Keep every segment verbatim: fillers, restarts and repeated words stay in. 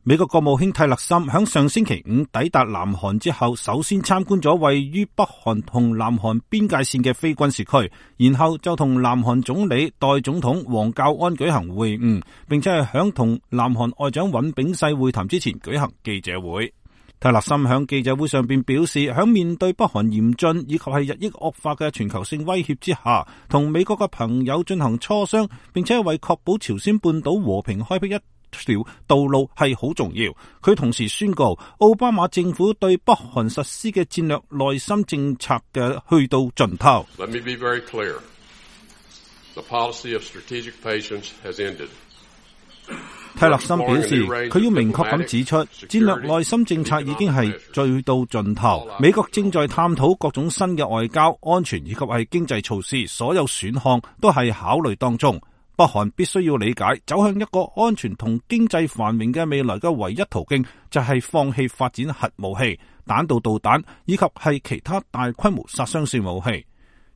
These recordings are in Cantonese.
美國國務卿泰勒森響上星期五抵達南韓之後，首先參觀咗位於北韓同南韓邊界線嘅非軍事區，然後就同南韓總理代總統黃教安舉行會晤，並且係響同南韓外長尹炳世會談之前舉行記者會。泰勒森響記者會上邊表示，響面對北韓嚴峻以及係日益惡化嘅全球性威脅之下，同美國嘅朋友進行磋商，並且為確保朝鮮半島和平開闢一條道路係好重要。佢同時宣告，奧巴馬政府對北韓實施嘅戰略內心政策嘅去到盡頭。Let me be very clear. The policy of strategic patience has ended. 泰勒森表示，佢要明確咁指出，戰略內心政策已經係最到盡頭。美國正在探討各種新嘅外交、安全以及係經濟措施，所有選項都係考慮當中。北韓必須要理解，走向一個安全同經濟繁榮嘅未來嘅唯一途徑，就係放棄發展核武器、彈道導彈以及係其他大規模殺傷性武器。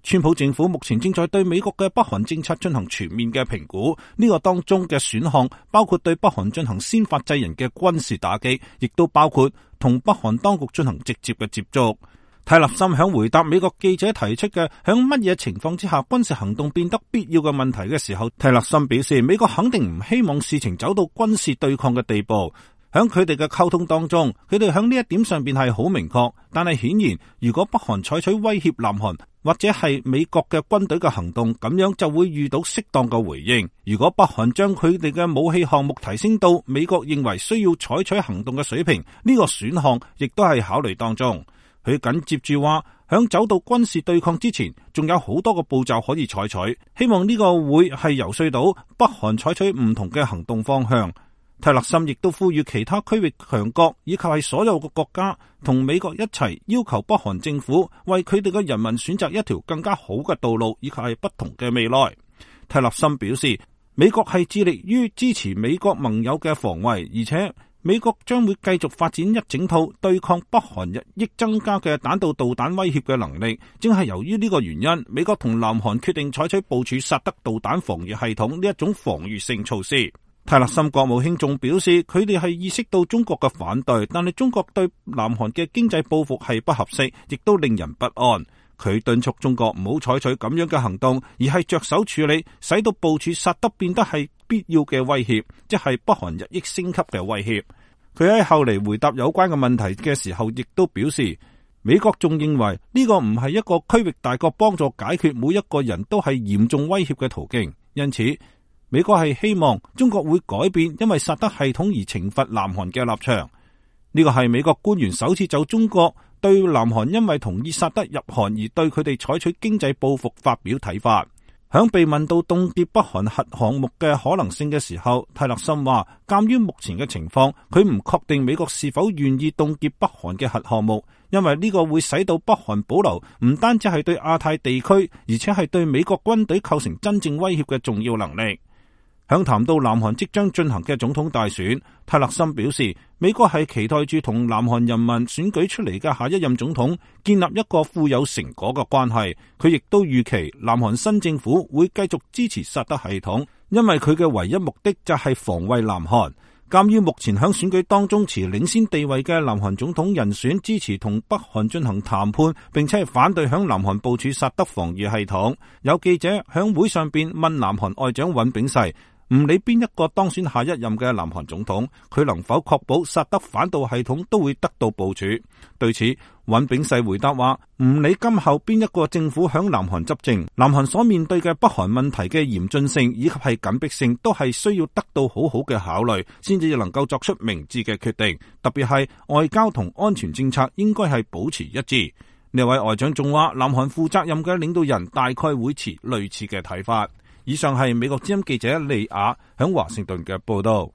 川普政府目前正在對美國嘅北韓政策進行全面嘅評估，呢個當中嘅選項包括對北韓進行先發制人嘅軍事打擊，亦都包括同北韓當局進行直接嘅接觸。泰勒森響回答美國記者提出嘅響乜嘢情況之下軍事行動變得必要嘅問題嘅時候，泰勒森表示，美國肯定唔希望事情走到軍事對抗嘅地步。響佢哋嘅溝通當中，佢哋響呢一點上邊係好明確，但係顯然，如果北韓採取威脅南韓或者係美國嘅軍隊嘅行動，咁樣就會遇到適當嘅回應。如果北韓將佢哋嘅武器項目提升到美國認為需要採取行動嘅水平，呢個選項亦都係考慮當中。佢緊接住話，響走到軍事對抗之前，仲有好多個步驟可以採取，希望呢個會係游說到北韓採取唔同嘅行動方向。泰勒森亦都呼籲其他區域強國以及係所有嘅國家同美國一齊要求北韓政府為佢哋嘅人民選擇一條更加好嘅道路，以及係不同嘅未來。泰勒森表示，美國係致力於支持美國盟友嘅防衛，而且美國將會繼續發展一整套對抗北韓日益增加嘅彈道導彈威脅嘅能力。正係由於呢個原因，美國同南韓決定採取部署薩德導彈防禦系統呢一種防禦性措施。泰勒森國務卿仲表示，佢哋係意識到中國嘅反對，但係中國對南韓嘅經濟報復係不合適，亦都令人不安。佢敦促中國唔好採取咁樣嘅行動，而係着手處理，使到部署薩德變得係必要嘅威脅，即係北韓日益升級嘅威脅。佢喺後嚟回答有關嘅問題嘅時候，亦都表示，美國仲認為呢個唔係一個區域大國幫助解決每一個人都係嚴重威脅嘅途徑，因此美國係希望中國會改變因為薩德系統而懲罰南韓嘅立場。呢個係美國官員首次就中國對南韓因為同意薩德入韓而對佢哋採取經濟報復發表睇法。響被問到凍結北韓核項目嘅可能性嘅時候，泰勒森話，鑒於目前嘅情況，佢唔確定美國是否願意凍結北韓嘅核項目，因為呢個會使到北韓保留唔單止係對亞太地區，而且係對美國軍隊構成真正威脅嘅重要能力。響談到南韓即將進行嘅總統大選，泰勒森表示，美國係期待住同南韓人民選舉出嚟嘅下一任總統建立一個富有成果嘅關係。佢亦都預期南韓新政府會繼續支持薩德系統，因為佢嘅唯一目的就係防衛南韓。鑒於目前響選舉當中持領先地位嘅南韓總統人選支持同北韓進行談判，並且係反對響南韓部署薩德防禦系統，有記者響會上邊問南韓外長尹炳世，唔理邊一個當選下一任嘅南韓總統，佢能否確保薩德反導系統都會得到部署？對此，尹炳世回答話，唔理今後邊一個政府響南韓執政，南韓所面對嘅北韓問題嘅嚴峻性以及係緊迫性，都係需要得到好好嘅考慮，先至能夠作出明智嘅決定。特別係外交同安全政策應該係保持一致。呢位外長仲話，南韓負責任嘅領導人大概會持類似嘅睇法。以上係美國之音記者利亞響華盛頓嘅報道。